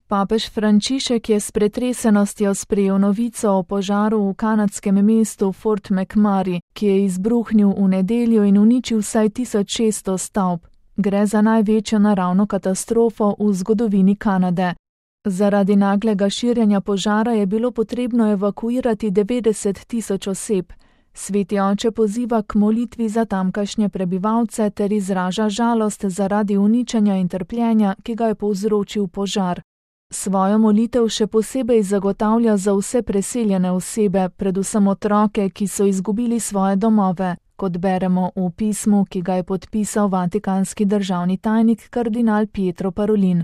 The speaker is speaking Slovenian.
Papež Frančišek je s pretresenostjo sprejel novico o požaru v kanadskem mestu Fort McMurray, ki je izbruhnil v nedeljo in uničil vsaj 1600 stavb. Gre za največjo naravno katastrofo v zgodovini Kanade. Zaradi naglega širjenja požara je bilo potrebno evakuirati 90 tisoč oseb. Sveti oče poziva k molitvi za tamkajšnje prebivalce ter izraža žalost zaradi uničenja in trpljenja, ki ga je povzročil požar. Svojo molitev še posebej zagotavlja za vse preseljene osebe, predvsem otroke, ki so izgubili svoje domove, kot beremo v pismu, ki ga je podpisal vatikanski državni tajnik kardinal Pietro Parolin.